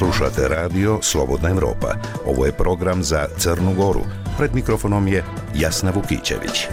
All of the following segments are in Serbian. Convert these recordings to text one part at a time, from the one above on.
Slušate radio Slobodna Evropa. Ovo je program za Crnu Goru. Pred mikrofonom je Jasna Vukićević.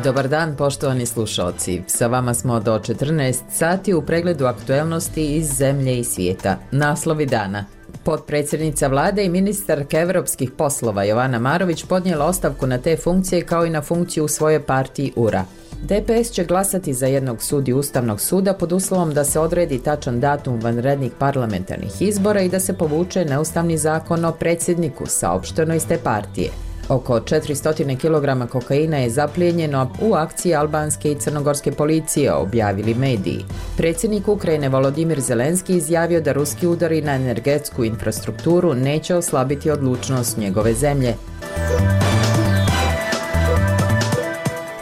Dobar dan, poštovani slušalci. Sa vama smo do 14 sati u pregledu aktuelnosti iz zemlje i svijeta. Naslovi dana. Potpredsjednica vlade i ministarka europskih poslova Jovana Marović podnijela ostavku na te funkcije kao i na funkciju u svojoj partiji URA. DPS će glasati za jednog sudiju Ustavnog suda pod uslovom da se odredi tačan datum vanrednih parlamentarnih izbora i da se povuče neustavni zakon o predsjedniku, saopšteno iz te partije. Oko 400 kg kokaina je zaplijenjeno u akciji albanske i crnogorske policije, objavili mediji. Predsjednik Ukrajine Volodimir Zelenski izjavio da ruski udari na energetsku infrastrukturu neće oslabiti odlučnost njegove zemlje.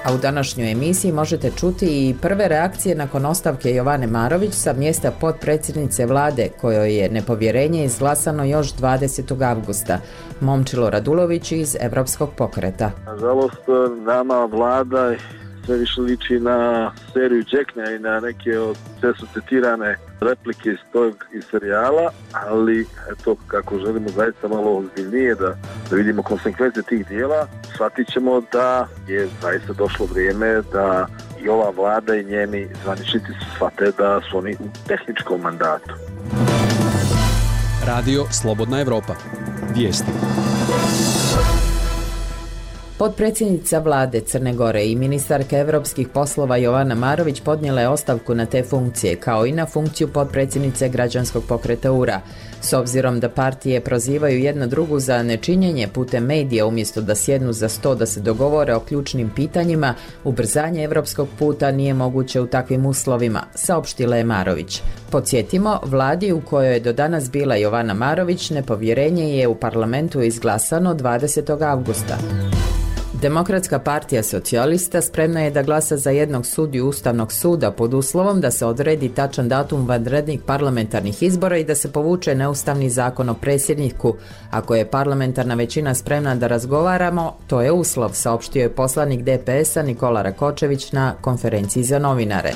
A u današnjoj emisiji možete čuti i prve reakcije nakon ostavke Jovane Marović sa mjesta potpredsjednice vlade, kojoj je nepovjerenje izglasano još 20. avgusta. Momčilo Radulović iz Evropskog pokreta. Nažalost, nama vlada sve više liči na seriju Đeknja i na neke od često citirane replike iz serijala, ali eto, kako želimo zaista malo ozbiljnije da vidimo konsekvence tih dijela, shvatit ćemo da je zaista došlo vrijeme da i ova vlada i njeni zvaničnici shvate da su oni u tehničkom mandatu. Radio Slobodna Evropa. Vijesti. Potpredsjednica vlade Crne Gore i ministarka europskih poslova Jovana Marović podnijela je ostavku na te funkcije, kao i na funkciju potpredsjednice građanskog pokreta URA. S obzirom da partije prozivaju jedna drugu za nečinjenje putem medija umjesto da sjednu za sto da se dogovore o ključnim pitanjima, ubrzanje europskog puta nije moguće u takvim uslovima, saopštila je Marović. Podsjetimo, vladi u kojoj je do danas bila Jovana Marović, nepovjerenje je u parlamentu izglasano 20. avgusta. Demokratska partija socijalista spremna je da glasa za jednog sudiju Ustavnog suda pod uslovom da se odredi tačan datum vanrednih parlamentarnih izbora i da se povuče neustavni zakon o predsjedniku. Ako je parlamentarna većina spremna da razgovaramo, to je uslov, saopštio je poslanik DPS-a Nikola Rakočević na konferenciji za novinare.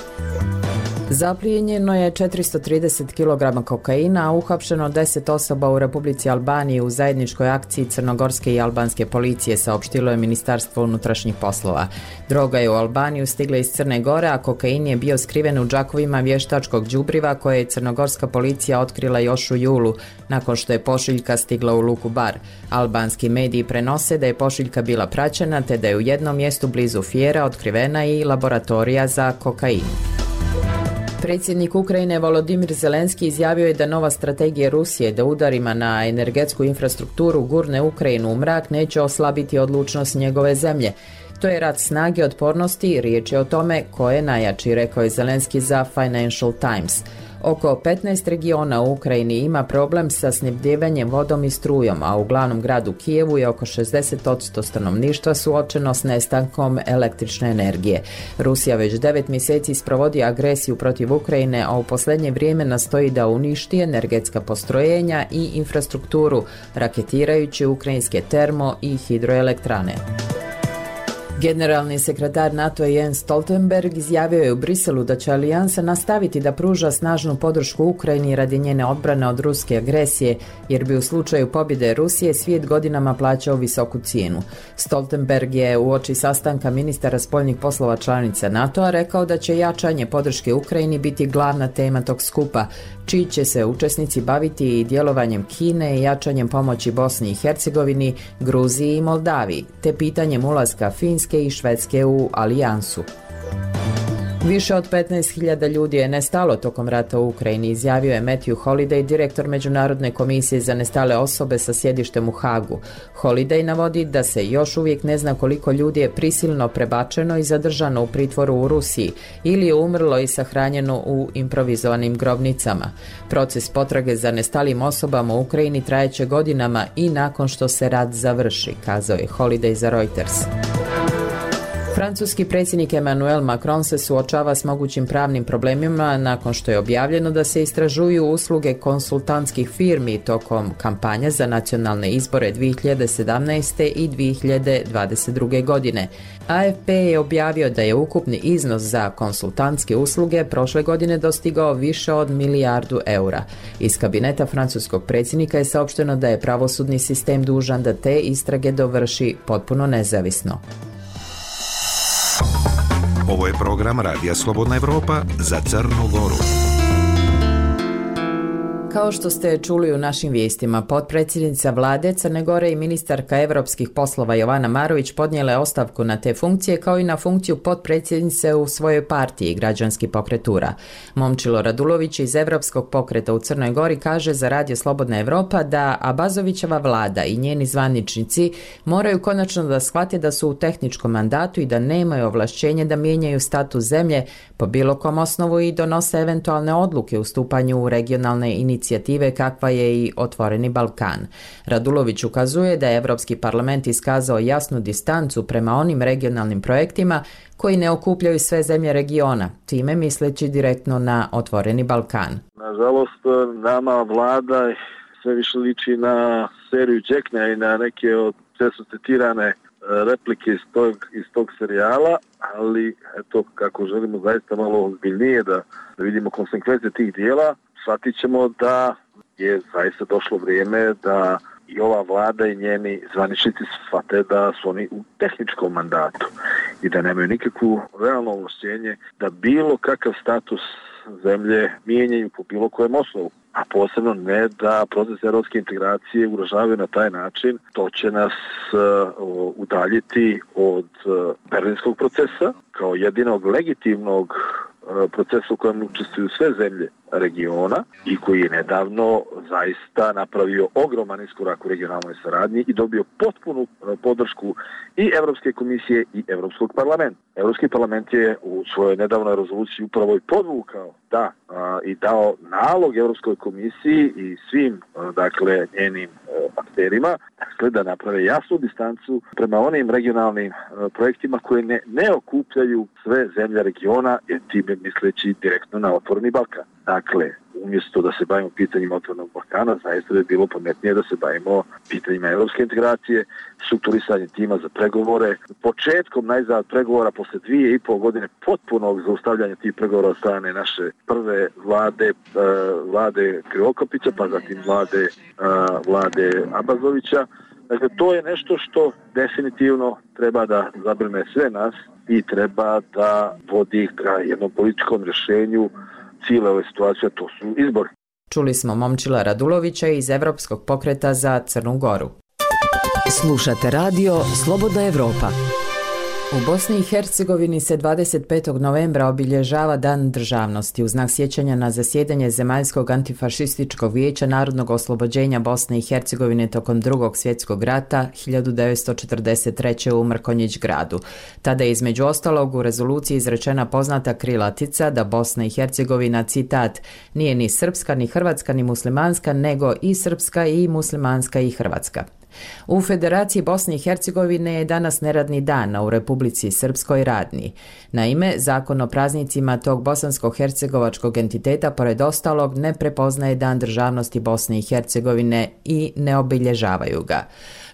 Zaplijenjeno je 430 kg kokaina, a uhapšeno 10 osoba u Republici Albaniji u zajedničkoj akciji crnogorske i albanske policije, saopštilo je Ministarstvo unutrašnjih poslova. Droga je u Albaniju stigla iz Crne Gore, a kokain je bio skriven u džakovima vještačkog đubriva koje je crnogorska policija otkrila još u julu, nakon što je pošiljka stigla u luku Bar. Albanski mediji prenose da je pošiljka bila praćena, te da je u jednom mjestu blizu Fjera otkrivena i laboratorija za kokain. Predsjednik Ukrajine Volodimir Zelenski izjavio je da nova strategija Rusije da udarima na energetsku infrastrukturu gurne Ukrajinu u mrak neće oslabiti odlučnost njegove zemlje. To je rat snage otpornosti, riječ je o tome ko je najjači, rekao je Zelenski za Financial Times. Oko 15 regiona u Ukrajini ima problem sa snabdijevanjem vodom i strujom, a u glavnom gradu Kijevu je oko 60% stanovništva suočeno s nestankom električne energije. Rusija već 9 mjeseci sprovodi agresiju protiv Ukrajine, a u posljednje vrijeme nastoji da uništi energetska postrojenja i infrastrukturu, raketirajući ukrajinske termo i hidroelektrane. Generalni sekretar NATO Jens Stoltenberg izjavio je u Briselu da će alijansa nastaviti da pruža snažnu podršku Ukrajini radi njene odbrane od ruske agresije, jer bi u slučaju pobjede Rusije svijet godinama plaćao visoku cijenu. Stoltenberg je uoči sastanka ministara spoljnih poslova članica NATO-a rekao da će jačanje podrške Ukrajini biti glavna tema tog skupa, čiji će se učesnici baviti i djelovanjem Kine i jačanjem pomoći Bosni i Hercegovini, Gruziji i Moldaviji, te pitanjem ulaska Finske i Švedske u alijansu. Više od 15.000 ljudi je nestalo tokom rata u Ukrajini, izjavio je Matthew Holiday, direktor Međunarodne komisije za nestale osobe sa sjedištem u Hagu. Holiday navodi da se još uvijek ne zna koliko ljudi je prisilno prebačeno i zadržano u pritvoru u Rusiji ili je umrlo i sahranjeno u improvizovanim grobnicama. Proces potrage za nestalim osobama u Ukrajini trajeće godinama i nakon što se rat završi, kazao je Holiday za Reuters. Francuski predsjednik Emmanuel Macron se suočava s mogućim pravnim problemima nakon što je objavljeno da se istražuju usluge konsultantskih firmi tokom kampanja za nacionalne izbore 2017. i 2022. godine. AFP je objavio da je ukupni iznos za konsultantske usluge prošle godine dostigao više od milijardu eura. Iz kabineta francuskog predsjednika je saopšteno da je pravosudni sistem dužan da te istrage dovrši potpuno nezavisno. Ovo je program Radija Slobodna Evropa za Crnu Goru. Kao što ste čuli u našim vijestima, potpredsjednica vlade Crne Gore i ministarka evropskih poslova Jovana Marović podnijela je ostavku na te funkcije kao i na funkciju potpredsjednice u svojoj partiji Građanski pokret URA. Momčilo Radulović iz Evropskog pokreta u Crnoj Gori kaže za Radio Slobodna Evropa da Abazovićeva vlada i njeni zvaničnici moraju konačno da shvate da su u tehničkom mandatu i da nemaju ovlašćenje da mijenjaju status zemlje po bilo kom osnovu i donose eventualne odluke u stupanju u regionalne inicijative kakva je i Otvoreni Balkan. Radulović ukazuje da je Evropski parlament iskazao jasnu distancu prema onim regionalnim projektima koji ne okupljaju sve zemlje regiona, time misleći direktno na Otvoreni Balkan. Nažalost, nama vlada sve više liči na seriju Đeknja i na neke od često citirane replike iz tog serijala, ali eto, kako želimo zaista malo ozbiljnije da vidimo konsekvence tih dijela, shvatit ćemo da je zaista došlo vrijeme da i ova vlada i njeni zvaničnici shvate da su oni u tehničkom mandatu i da nemaju nikakvu realno ovlašćenje da bilo kakav status zemlje mijenjaju po bilo kojem osnovu, a posebno ne da proces europske integracije ugrožavaju na taj način. To će nas udaljiti od berlinskog procesa kao jedinog legitimnog procesa u kojem učestvuju sve zemlje regiona i koji je nedavno zaista napravio ogroman iskorak u regionalnoj saradnji i dobio potpunu podršku i Evropske komisije i Evropskog parlamenta. Evropski parlament je u svojoj nedavnoj rezoluciji upravo i podvukao i dao nalog Evropskoj komisiji i svim njenim akterima da naprave jasnu distancu prema onim regionalnim projektima koje ne okupljaju sve zemlje regiona, jer time misleći direktno na Otvoreni Balkan. Dakle, umjesto da se bavimo pitanjima Otvorenog Balkana, zaista bi bilo pametnije da se bavimo pitanjima evropske integracije, strukturisanjem tima za pregovore, početkom najzad pregovora posle 2,5 godine potpunog zaustavljanja tih pregovora od strane naše prve vlade Krivokapića, pa zatim vlade Abazovića. Dakle, to je nešto što definitivno treba da zabrine sve nas i treba da vodi ka jednom političkom rješenju cijela ove situacije, to su izbori. Čuli smo Momčila Radulovića iz Evropskog pokreta za Crnu Goru. Slušate radio Slobodna Evropa. U Bosni i Hercegovini se 25. novembra obilježava Dan državnosti u znak sjećanja na zasjedanje Zemaljskog antifašističkog vijeća narodnog oslobođenja Bosne i Hercegovine tokom Drugog svjetskog rata 1943. u Mrkonjić gradu. Tada je između ostalog u rezoluciji izrečena poznata krilatica da Bosna i Hercegovina, citat, nije ni srpska, ni hrvatska, ni muslimanska, nego i srpska i muslimanska i hrvatska. U Federaciji Bosne i Hercegovine je danas neradni dan, a u Republici Srpskoj radni. Naime, zakon o praznicima tog bosansko-hercegovačkog entiteta pored ostalog ne prepoznaje Dan državnosti Bosne i Hercegovine i ne obilježavaju ga.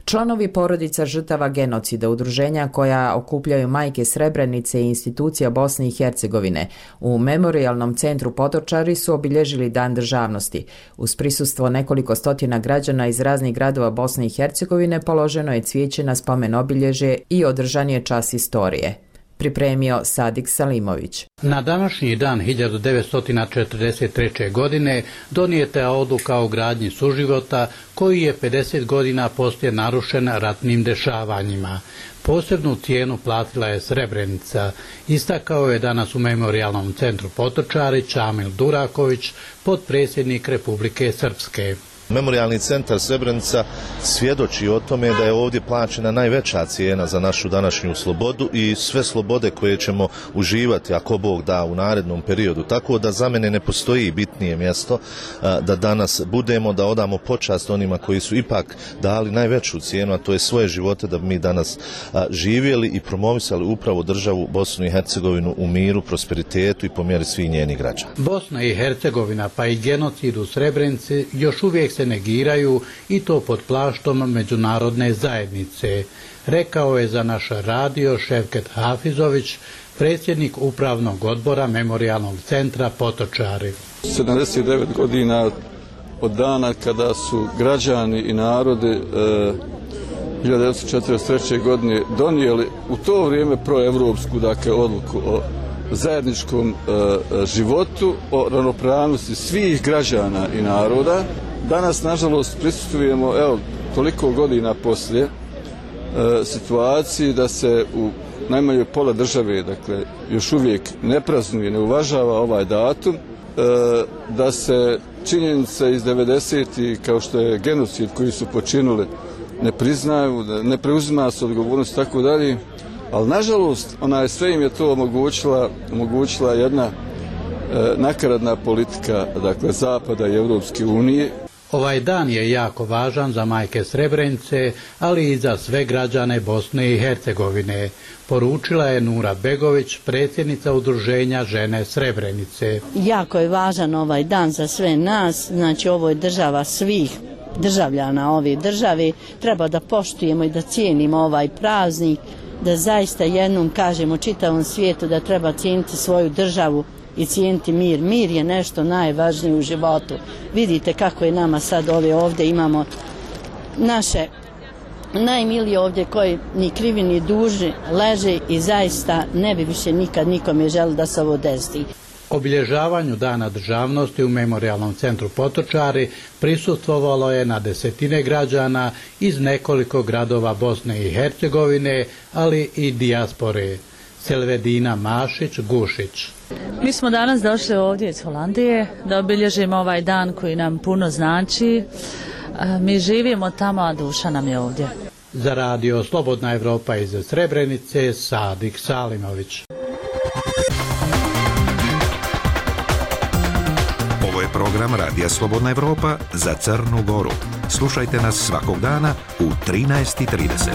Članovi porodica žrtava genocida, udruženja koja okupljaju majke Srebrenice i institucija Bosne i Hercegovine u Memorijalnom centru Potočari su obilježili Dan državnosti. Uz prisustvo nekoliko stotina građana iz raznih gradova Bosne i Hercegovine položeno je cvijeće na spomen obilježje i održan je čas istorije. Pripremio Sadik Salimović. Na današnji dan 1943. godine donijeta je odluka o gradnji suživota koji je 50 godina poslije narušen ratnim dešavanjima. Posebnu cijenu platila je Srebrenica, istakao je danas u Memorijalnom centru Potočari Čamil Duraković, potpredsjednik Republike Srpske. Memorijalni centar Srebrenica svjedoči o tome da je ovdje plaćena najveća cijena za našu današnju slobodu i sve slobode koje ćemo uživati, ako Bog da, u narednom periodu. Tako da za mene ne postoji bitnije mjesto da danas budemo, da odamo počast onima koji su ipak dali najveću cijenu, a to je svoje živote da bi mi danas živjeli i promovisali upravo državu Bosnu i Hercegovinu u miru, prosperitetu i po mjeri svih njenih građana. Bosna i Hercegovina pa i genocid u Srebrenici još uvijek se negiraju i to pod plaštom međunarodne zajednice, rekao je za naš radio Ševket Hafizović, predsjednik upravnog odbora Memorijalnog centra Potočari. 79 godina od dana kada su građani i narodi 1943. godine donijeli u to vrijeme proevropsku odluku o zajedničkom životu, o ravnopravnosti svih građana i naroda. Danas, nažalost, prisustvujemo, toliko godina poslije, situaciji da se u najmanje pola države, još uvijek ne praznuje, ne uvažava ovaj datum, da se činjenice iz 90-ih, kao što je genocid koji su počinili, ne priznaju, da ne preuzima se odgovornost, tako dalje. Ali, nažalost, sve im je to omogućila jedna nakaradna politika, Zapada i Europske unije. Ovaj dan je jako važan za majke Srebrenice, ali i za sve građane Bosne i Hercegovine, poručila je Nura Begović, predsjednica udruženja Žene Srebrenice. Jako je važan ovaj dan za sve nas, znači ovo je država svih državljana ove države, treba da poštujemo i da cijenimo ovaj praznik, da zaista jednom kažemo čitavom svijetu da treba cijeniti svoju državu i cijeniti mir. Mir je nešto najvažnije u životu. Vidite kako je nama sad ovdje imamo naše najmilije ovdje koji ni krivi ni dužni leže i zaista ne bi više nikad nikome želi da se ovo desi. Obilježavanju Dana državnosti u Memorijalnom centru Potočari prisustvovalo je na desetine građana iz nekoliko gradova Bosne i Hercegovine, ali i dijaspore. Selvedina Mašić-Gušić. Mi smo danas došli ovdje iz Holandije da obilježimo ovaj dan koji nam puno znači. Mi živimo tamo, a duša nam je ovdje. Za radio Slobodna Evropa iz Srebrenice, Sadik Salimović. Ovo je program Radija Slobodna Evropa za Crnu Goru. Slušajte nas svakog dana u 13:30.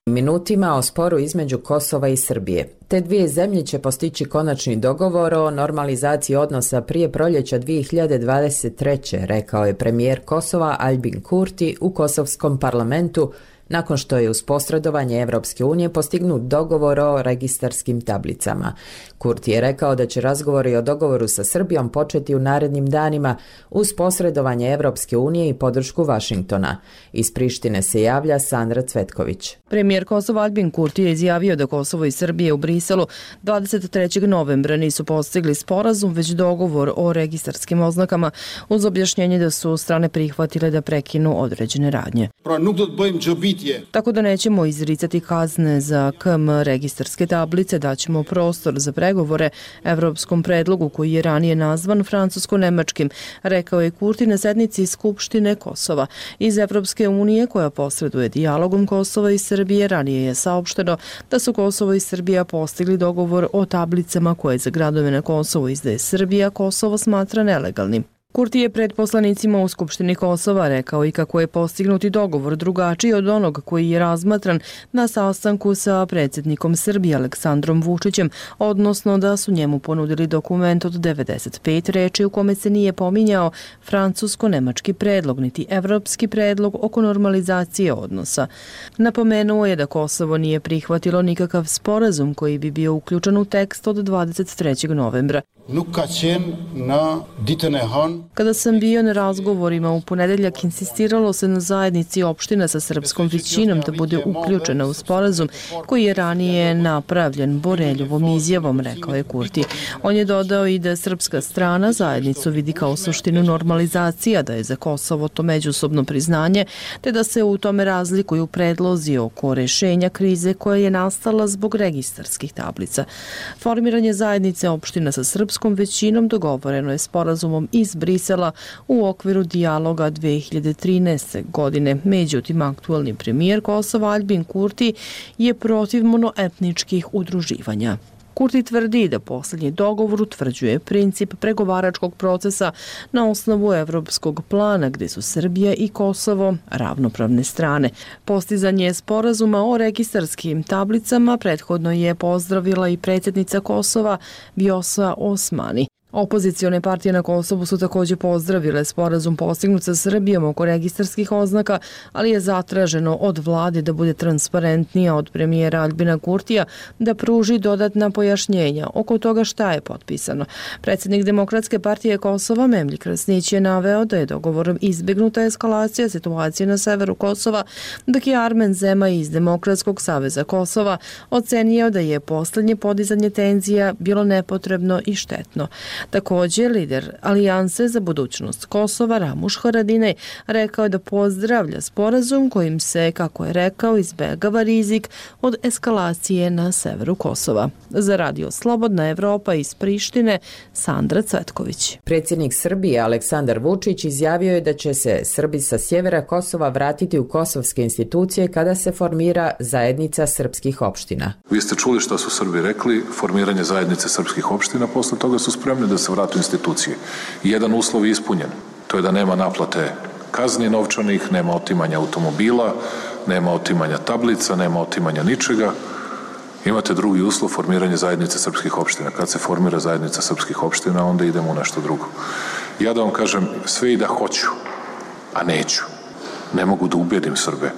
Minutima o sporu između Kosova i Srbije. Te dvije zemlje će postići konačni dogovor o normalizaciji odnosa prije proljeća 2023. rekao je premijer Kosova Albin Kurti u kosovskom parlamentu nakon što je uz posredovanje Evropske unije postignut dogovor o registarskim tablicama. Kurti je rekao da će razgovori o dogovoru sa Srbijom početi u narednim danima uz posredovanje Evropske unije i podršku Vašingtona. Iz Prištine se javlja Sandra Cvetković. Premijer Kosova Albin Kurti je izjavio da Kosovo i Srbije u Briselu 23. novembra nisu postigli sporazum, već dogovor o registarskim oznakama, uz objašnjenje da su strane prihvatile da prekinu određene radnje. Tako da nećemo izricati kazne za KM registarske tablice, daćemo prostor za pregovore evropskom predlogu koji je ranije nazvan francusko-nemačkim, rekao je Kurti na sednici Skupštine Kosova. Iz Evropske unije koja posreduje dijalogom Kosova i Srbije ranije je saopšteno da su Kosovo i Srbija postigli dogovor o tablicama koje za gradove na Kosovo izdaje Srbija, Kosovo smatra nelegalnim. Kurti je pred poslanicima u Skupštini Kosova rekao i kako je postignuti dogovor drugačiji od onog koji je razmatran na sastanku sa predsjednikom Srbije Aleksandrom Vučićem, odnosno da su njemu ponudili dokument od 95 reči u kome se nije pominjao francusko-nemački predlog niti evropski predlog oko normalizacije odnosa. Napomenuo je da Kosovo nije prihvatilo nikakav sporazum koji bi bio uključen u tekst od 23. novembra. Kada sam bio na razgovorima u ponedeljak, insistiralo se na zajednici opština sa srpskom većinom da bude uključena u sporazum koji je ranije napravljen Boreljovom izjavom, rekao je Kurti. On je dodao i da srpska strana zajednicu vidi kao suštinu normalizacija, da je za Kosovo to međusobno priznanje, te da se u tome razlikuju predlozi oko rešenja krize koja je nastala zbog registarskih tablica. Formiranje zajednice opština sa srpskom većinom dogovoreno je sporazumom iz Brisela u okviru dijaloga 2013. godine. Međutim, aktualni premijer Kosova Aljbin Kurti je protiv monoetničkih udruživanja. Kurti tvrdi da posljednji dogovor utvrđuje princip pregovaračkog procesa na osnovu evropskog plana gdje su Srbija i Kosovo ravnopravne strane. Postizanje sporazuma o registarskim tablicama prethodno je pozdravila i predsjednica Kosova Vjosa Osmani. Opozicione partije na Kosovu su također pozdravile sporazum postignut sa Srbijom oko registarskih oznaka, ali je zatraženo od vlade da bude transparentnija, od premijera Aljbina Kurtija da pruži dodatna pojašnjenja oko toga šta je potpisano. Predsjednik Demokratske partije Kosova Memlji Krasnić je naveo da je dogovorom izbjegnuta eskalacija situacije na severu Kosova, dok je Armen Zema iz Demokratskog saveza Kosova ocenio da je posljednje podizanje tenzija bilo nepotrebno i štetno. Također, lider Alijanse za budućnost Kosova Ramuš Haradinaj rekao da pozdravlja sporazum kojim se, kako je rekao, izbegava rizik od eskalacije na severu Kosova. Za Radio Slobodna Evropa iz Prištine, Sandra Cvetković. Predsjednik Srbije Aleksandar Vučić izjavio je da će se Srbi sa sjevera Kosova vratiti u kosovske institucije kada se formira zajednica srpskih opština. Vi ste čuli što su Srbi rekli, formiranje zajednice srpskih opština, posle toga su spremni da se vrate u institucije. Jedan uslov je ispunjen, to je da nema naplate kazni novčanih, nema otimanja automobila, nema otimanja tablica, nema otimanja ničega. Imate drugi uslov, formiranje zajednice srpskih opština. Kad se formira zajednica srpskih opština, onda idemo u nešto drugo. Ja da vam kažem, sve i da hoću, a neću. Ne mogu da ubedim Srbe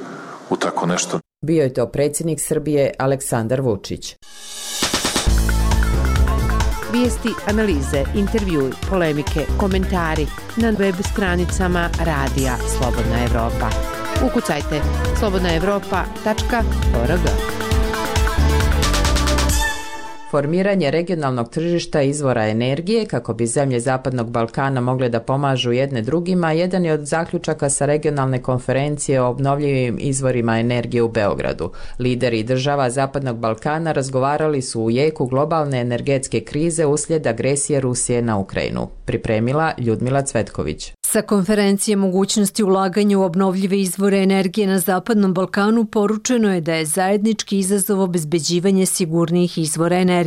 u tako nešto. Bio je to predsjednik Srbije Aleksandar Vučić. Vijesti, analize, intervjui, polemike, komentari na web stranicama Radija Slobodna Evropa. Ukucajte slobodnaevropa.org. Formiranje regionalnog tržišta izvora energije kako bi zemlje Zapadnog Balkana mogle da pomažu jedne drugima jedan je od zaključaka sa regionalne konferencije o obnovljivim izvorima energije u Beogradu. Lideri država Zapadnog Balkana razgovarali su u jeku globalne energetske krize uslijed agresije Rusije na Ukrajinu. Pripremila Ljudmila Cvetković. Sa konferencije mogućnosti ulaganja u obnovljive izvore energije na Zapadnom Balkanu poručeno je da je zajednički izazov obezbeđivanje sigurnijih izvora energije.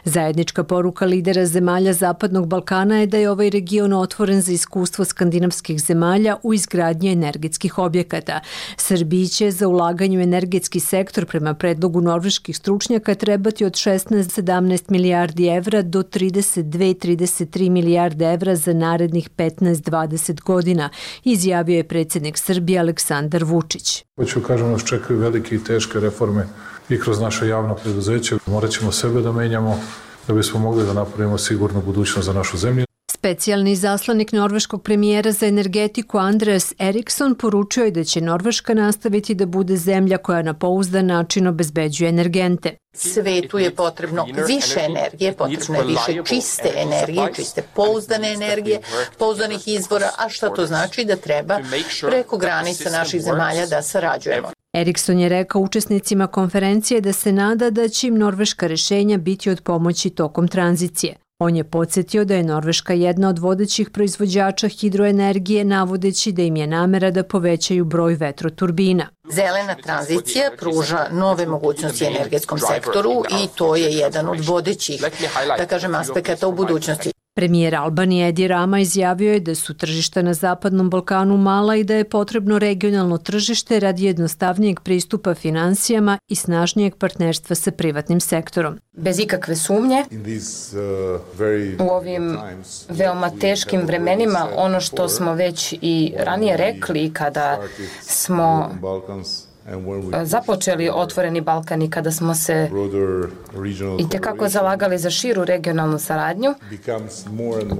Zajednička poruka lidera zemalja Zapadnog Balkana je da je ovaj region otvoren za iskustvo skandinavskih zemalja u izgradnji energetskih objekata. Srbiji će za ulaganje u energetski sektor prema predlogu norveških stručnjaka trebati od 16-17 milijardi evra do 32-33 milijarde evra za narednih 15-20 godina, izjavio je predsjednik Srbije Aleksandar Vučić. Hoću kažem, nas čekaju velike i teške reforme i kroz naše javno preduzeće. Morat ćemo sebe da menjamo da bismo mogli da napravimo sigurnu budućnost za našu zemlju. Specijalni zaslanik norveškog premijera za energetiku Andreas Eriksson poručio je da će Norveška nastaviti da bude zemlja koja na pouzdan način obezbeđuje energente. Svetu je potrebno više energije, potrebno je više čiste energije, čiste pouzdane energije, pouzdanih izvora, a šta to znači? Da treba preko granica naših zemalja da sarađujemo. Eriksson je rekao učesnicima konferencije da se nada da će im norveška rješenja biti od pomoći tokom tranzicije. On je podsjetio da je Norveška jedna od vodećih proizvođača hidroenergije, navodeći da im je namera da povećaju broj vetroturbina. Zelena tranzicija pruža nove mogućnosti energetskom sektoru i to je jedan od vodećih, da kažem, aspekata u budućnosti. Premijer Albanije Edi Rama izjavio je da su tržišta na Zapadnom Balkanu mala i da je potrebno regionalno tržište radi jednostavnijeg pristupa finansijama i snažnijeg partnerstva sa privatnim sektorom. Bez ikakve sumnje, u ovim veoma teškim vremenima, ono što smo već i ranije rekli kada smo započeli Otvoreni Balkan i kada smo se itekako zalagali za širu regionalnu saradnju,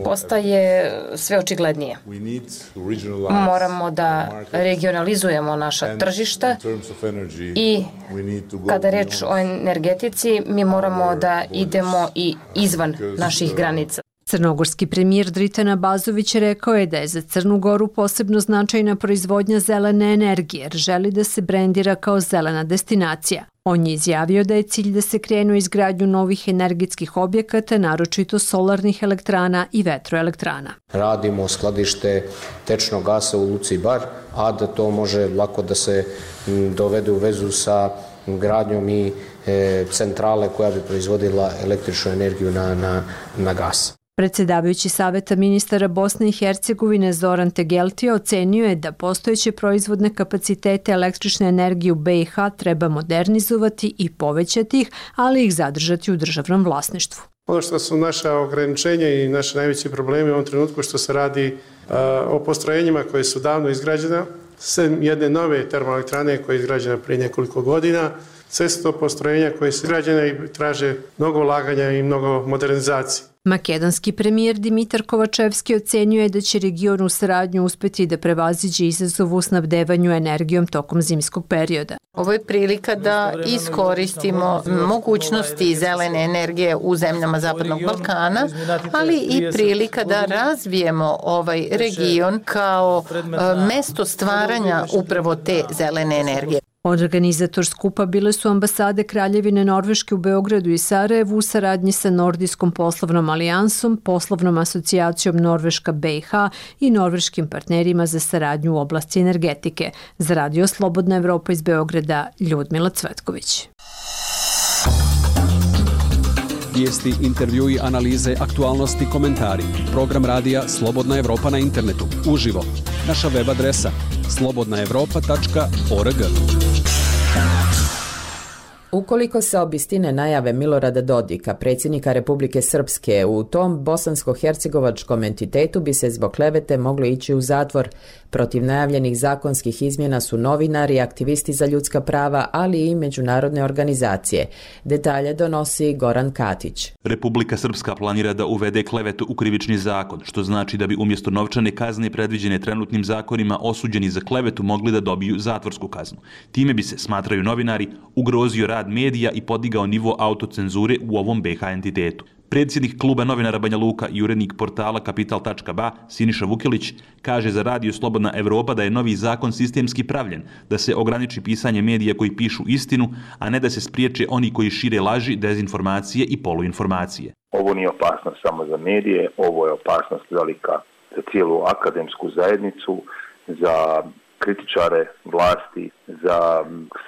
postaje sve očiglednije. Moramo da regionalizujemo naša tržišta i kada je reč o energetici, mi moramo da idemo i izvan naših granica. Crnogorski premijer Dritan Abazović rekao je da je za Crnu Goru posebno značajna proizvodnja zelene energije jer želi da se brendira kao zelena destinacija. On je izjavio da je cilj da se krenu izgradnju novih energetskih objekata, naročito solarnih elektrana i vetroelektrana. Radimo skladište tečnog gasa u Luci Bar, a da to može lako da se dovede u vezu sa gradnjom i centrale koja bi proizvodila električnu energiju na gas. Predsjedavajući Saveta ministara Bosne i Hercegovine Zoran Tegeltija ocenio je da postojeće proizvodne kapacitete električne energije u BiH treba modernizovati i povećati ih, ali ih zadržati u državnom vlasništvu. Ono što su naša ograničenja i naši najveći problemi u ovom trenutku što se radi o postrojenjima koje su davno izgrađena, sem jedne nove termoelektrane koja je izgrađena prije nekoliko godina, sve su to postrojenja koje su izgrađene i traže mnogo ulaganja i mnogo modernizacije. Makedonski premijer Dimitar Kovačevski ocenio je da će region u saradnju uspeti da prevaziđe izazov u snabdevanju energijom tokom zimskog perioda. Ovo je prilika da iskoristimo mogućnosti zelene energije u zemljama Zapadnog Balkana, ali i prilika da razvijemo ovaj region kao mesto stvaranja upravo te zelene energije. Organizator skupa bile su ambasade Kraljevine Norveške u Beogradu i Sarajevu u saradnji sa Nordijskom poslovnom alijansom, poslovnom asocijacijom Norveška BiH i norveškim partnerima za saradnju u oblasti energetike. Za Radio Slobodna Evropa iz Beograda, Ljudmila Cvetković. Vijesti, intervjui, analize, aktualnosti, komentari. Program radija Slobodna Evropa na internetu. Uživo. Naša web adresa slobodnaevropa.org. Ukoliko se obistine najave Milorada Dodika, predsjednika Republike Srpske, u tom bosansko-hercegovačkom entitetu bi se zbog klevete moglo ići u zatvor. Protiv najavljenih zakonskih izmjena su novinari, aktivisti za ljudska prava, ali i međunarodne organizacije. Detalje donosi Goran Katić. Republika Srpska planira da uvede klevetu u krivični zakon, što znači da bi umjesto novčane kazne predviđene trenutnim zakonima osuđeni za klevetu mogli da dobiju zatvorsku kaznu. Time bi se, smatraju novinari, ugrozio rad medija i podigao nivo autocenzure u ovom BiH entitetu. Predsjednik kluba novinara Banja Luka i urednik portala Kapital.ba Siniša Vukilić kaže za Radio Slobodna Evropa da je novi zakon sistemski pravljen, da se ograniči pisanje medija koji pišu istinu, a ne da se spriječe oni koji šire laži, dezinformacije i poluinformacije. Ovo nije opasnost samo za medije, ovo je opasnost velika za cijelu akademsku zajednicu, za kritičare vlasti, za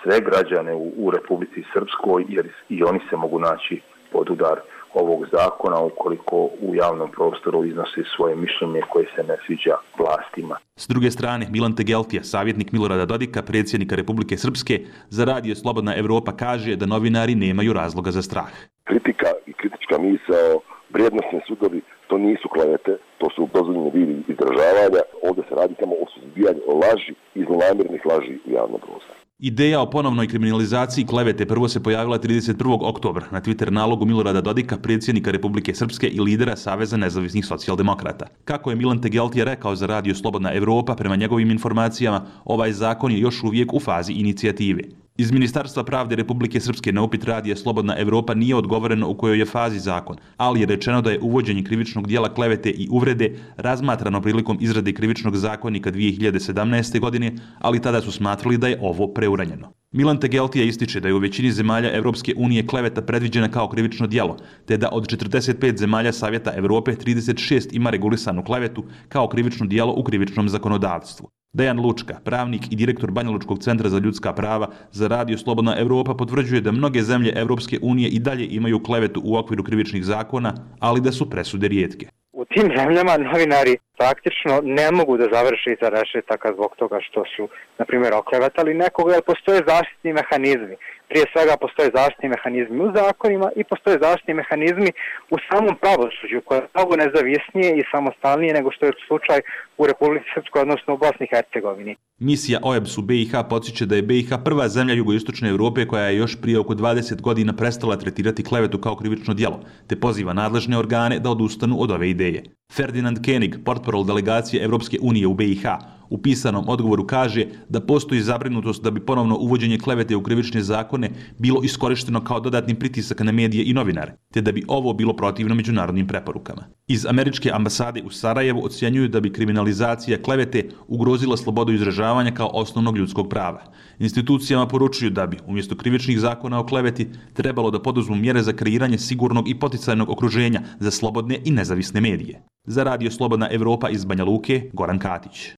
sve građane u Republici Srpskoj, jer i oni se mogu naći pod udar ovog zakona ukoliko u javnom prostoru iznose svoje mišljenje koje se ne sviđa vlastima. S druge strane, Milan Tegeltija, savjetnik Milorada Dodika, predsjednika Republike Srpske, za Radio Slobodna Evropa kaže da novinari nemaju razloga za strah. Kritika i kritička misao, vrijednosni sudovi, to nisu klevete, to su dozvoljeni vidi izražavanja. Ovdje se radi samo o suzbijanju laži i zlonamjernih laži u javnom prostoru. Ideja o ponovnoj kriminalizaciji klevete prvo se pojavila 31. oktobra na Twitter nalogu Milorada Dodika, predsjednika Republike Srpske i lidera Saveza nezavisnih socijaldemokrata. Kako je Milan Tegeltija rekao za Radio Slobodna Evropa, prema njegovim informacijama, ovaj zakon je još uvijek u fazi inicijative. Iz Ministarstva pravde Republike Srpske na upit Radija Slobodna Evropa nije odgovoreno u kojoj je fazi zakon, ali je rečeno da je uvođenje krivičnog dijela klevete i uvrede razmatrano prilikom izrade krivičnog zakonika 2017. godine, ali tada su smatrali da je ovo preuranjeno. Milan Tegeltija ističe da je u većini zemalja Evropske unije kleveta predviđena kao krivično djelo, te da od 45 zemalja Savjeta Evrope 36 ima regulisanu klevetu kao krivično djelo u krivičnom zakonodavstvu. Dejan Lučka, pravnik i direktor Banjalučkog centra za ljudska prava za Radio Slobodna Evropa, potvrđuje da mnoge zemlje Evropske unije i dalje imaju klevetu u okviru krivičnih zakona, ali da su presude rijetke. U tim zemljama novinari praktično ne mogu da završe iza rešetaka zbog toga što su, na primjer, oklevetali nekoga, jer postoje zaštitni mehanizmi. Prije svega postoje zaštitni mehanizmi u zakonima i postoje zaštitni mehanizmi u samom pravosuđu, koje je mnogo nezavisnije i samostalnije nego što je slučaj u Republici Srpskoj, odnosno u Bosni i Hercegovini. Misija OEBS u BiH podsjeća da je BiH prva zemlja jugoistočne Evrope koja je još prije oko 20 godina prestala tretirati klevetu kao krivično djelo, te poziva nadležne organe da odustanu od ove ideje. Ferdinand Koenig, portparol delegacije Evropske unije u BiH, u pisanom odgovoru kaže da postoji zabrinutost da bi ponovno uvođenje klevete u krivične zakone bilo iskorišteno kao dodatni pritisak na medije i novinare, te da bi ovo bilo protivno međunarodnim preporukama. Iz američke ambasade u Sarajevu ocjenjuju da bi kriminalizacija klevete ugrozila slobodu izražavanja kao osnovnog ljudskog prava. Institucijama poručuju da bi, umjesto krivičnih zakona o kleveti, trebalo da poduzmu mjere za kreiranje sigurnog i poticajnog okruženja za slobodne i nezavisne medije. Za Radio Slobodna Evropa iz Banja Luke, Goran Katić.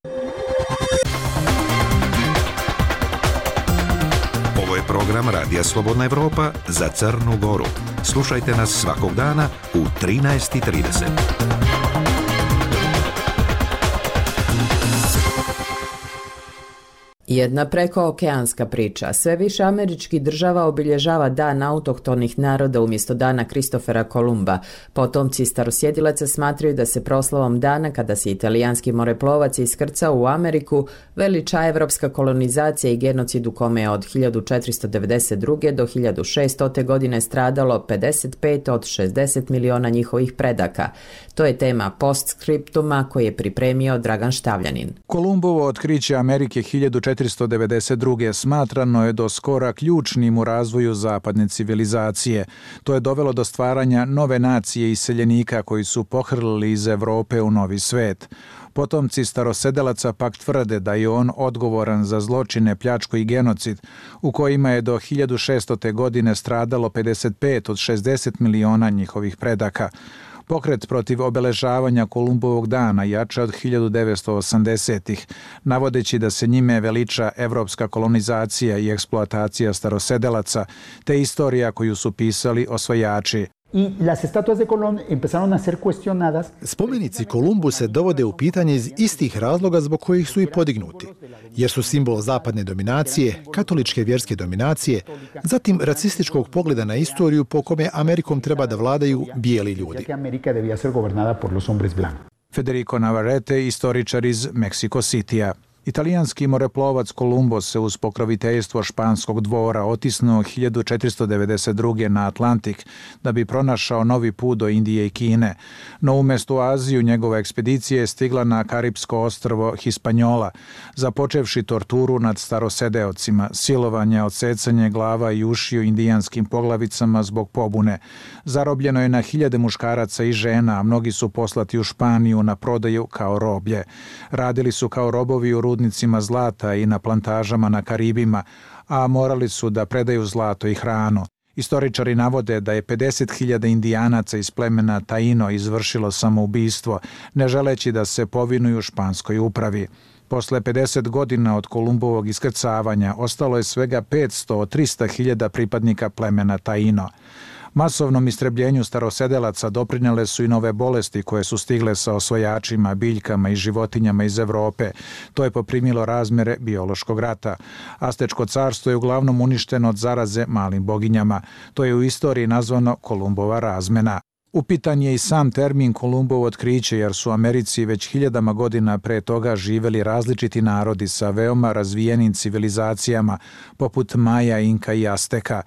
Ovo je program Radija Slobodna Evropa za Crnu Goru. Slušajte nas svakog dana u 13:30. Jedna prekookeanska priča. Sve više američkih država obilježava Dan autohtonih naroda umjesto dana Kristofera Kolumba. Potomci starosjedilaca smatraju da se proslavom dana, kada se italijanski moreplovac iskrcao u Ameriku, veliča evropska kolonizacija i genocid u kome je od 1492. do 1600. godine stradalo 55 od 60 miliona njihovih predaka. To je tema postskriptuma koji je pripremio Dragan Štavljanin. Kolumbovo otkriće Amerike 1492. smatrano je do skora ključnim u razvoju zapadne civilizacije. To je dovelo do stvaranja nove nacije iseljenika koji su pohrlili iz Evrope u novi svet. Potomci starosedelaca pak tvrde da je on odgovoran za zločine, pljačku i genocid, u kojima je do 1600. godine stradalo 55 od 60 miliona njihovih predaka. Pokret protiv obeležavanja Kolumbovog dana jača od 1980-ih, navodeći da se njime veliča evropska kolonizacija i eksploatacija starosedelaca, te istorija koju su pisali osvajači. Spomenici Kolumbu se dovode u pitanje iz istih razloga zbog kojih su i podignuti, jer su simbol zapadne dominacije, katoličke vjerske dominacije, zatim racističkog pogleda na istoriju po kome Amerikom treba da vladaju bijeli ljudi. Federico Navarrete, istoričar iz Mexico Citya. Italijanski moreplovac Kolumbo se uz pokroviteljstvo španskog dvora otisnuo 1492. na Atlantik da bi pronašao novi put do Indije i Kine, no umjesto u Aziju njegova ekspedicija je stigla na Karipsko ostrvo Hispaniola, započevši torturu nad starosedeocima, silovanje, odsecanje glava i ušiju indijanskim poglavicama zbog pobune. Zarobljeno je na hiljade muškaraca i žena, a mnogi su poslati u Španiju na prodaju kao roblje. Radili su kao robovi u rudnicima zlata i na plantažama na Karibima, a morali su da predaju zlato i hranu. Istoričari navode da je 50.000 indijanaca iz plemena Taino izvršilo samoubistvo, ne želeći da se povinuju španskoj upravi. Posle 50 godina od Kolumbovog iskrcavanja ostalo je svega 500 od 300.000 pripadnika plemena Taino. Masovnom istrebljenju starosedelaca doprinele su i nove bolesti koje su stigle sa osvajačima, biljkama i životinjama iz Evrope. To je poprimilo razmere biološkog rata. Astečko carstvo je uglavnom uništeno od zaraze malim boginjama. To je u istoriji nazvano Kolumbova razmena. Upitan je i sam termin Kolumbovo otkriće, jer su u Americi već hiljadama godina pre toga živeli različiti narodi sa veoma razvijenim civilizacijama, poput Maja, Inka i Azteka.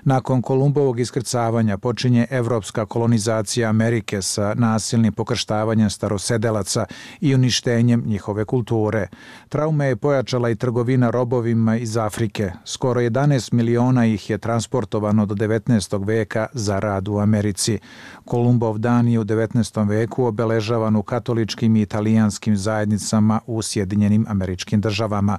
Nakon Kolumbovog iskrcavanja počinje evropska kolonizacija Amerike sa nasilnim pokrštavanjem starosedelaca i uništenjem njihove kulture. Traume je pojačala i trgovina robovima iz Afrike. Skoro 11 miliona ih je transportovano do 19. veka za rad u Americi. Kolumbov dan je u 19. veku obeležavan u katoličkim i italijanskim zajednicama u Sjedinjenim Američkim Državama.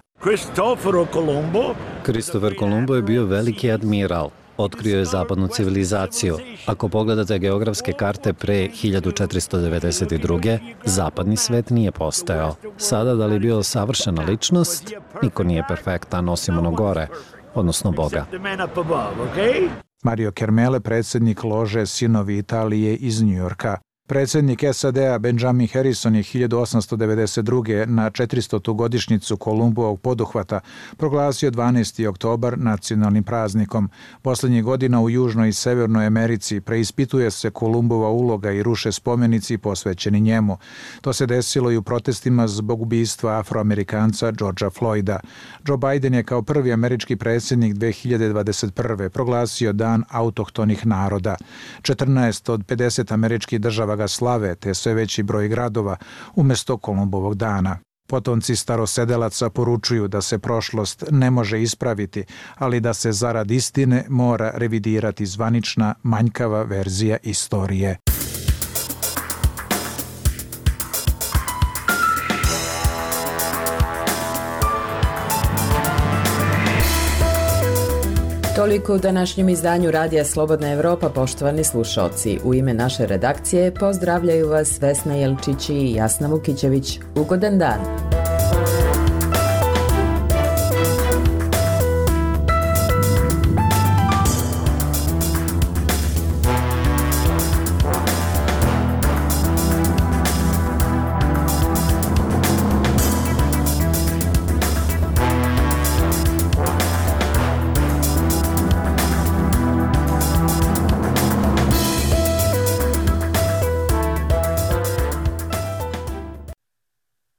Kristofer Kolumbo je bio veliki admiral. Otkrio je zapadnu civilizaciju. Ako pogledate geografske karte pre 1492. zapadni svet nije postojao. Sada da li je bio savršena ličnost, niko nije perfektan osim ono gore, odnosno Boga. Mario Kermele, predsjednik lože Sinovi Italije iz Njujorka. Predsjednik SAD-a Benjamin Harrison je 1892. na 400. godišnjicu Kolumbovog poduhvata proglasio 12. oktobar nacionalnim praznikom. Posljednjih godina u Južnoj i Severnoj Americi preispituje se Kolumbova uloga i ruše spomenici posvećeni njemu. To se desilo i u protestima zbog ubistva Afroamerikanca Georgea Floyda. Joe Biden je kao prvi američki predsjednik 2021. proglasio Dan autohtonih naroda. 14 od 50 američkih država ga slave, te sve veći broj gradova umjesto Kolumbovog dana. Potomci starosedelaca poručuju da se prošlost ne može ispraviti, ali da se zarad istine mora revidirati zvanična manjkava verzija istorije. Toliko u današnjem izdanju Radija Slobodna Evropa, poštovani slušalci. U ime naše redakcije pozdravljaju vas Vesna Jelčić i Jasna Vukićević. Ugodan dan!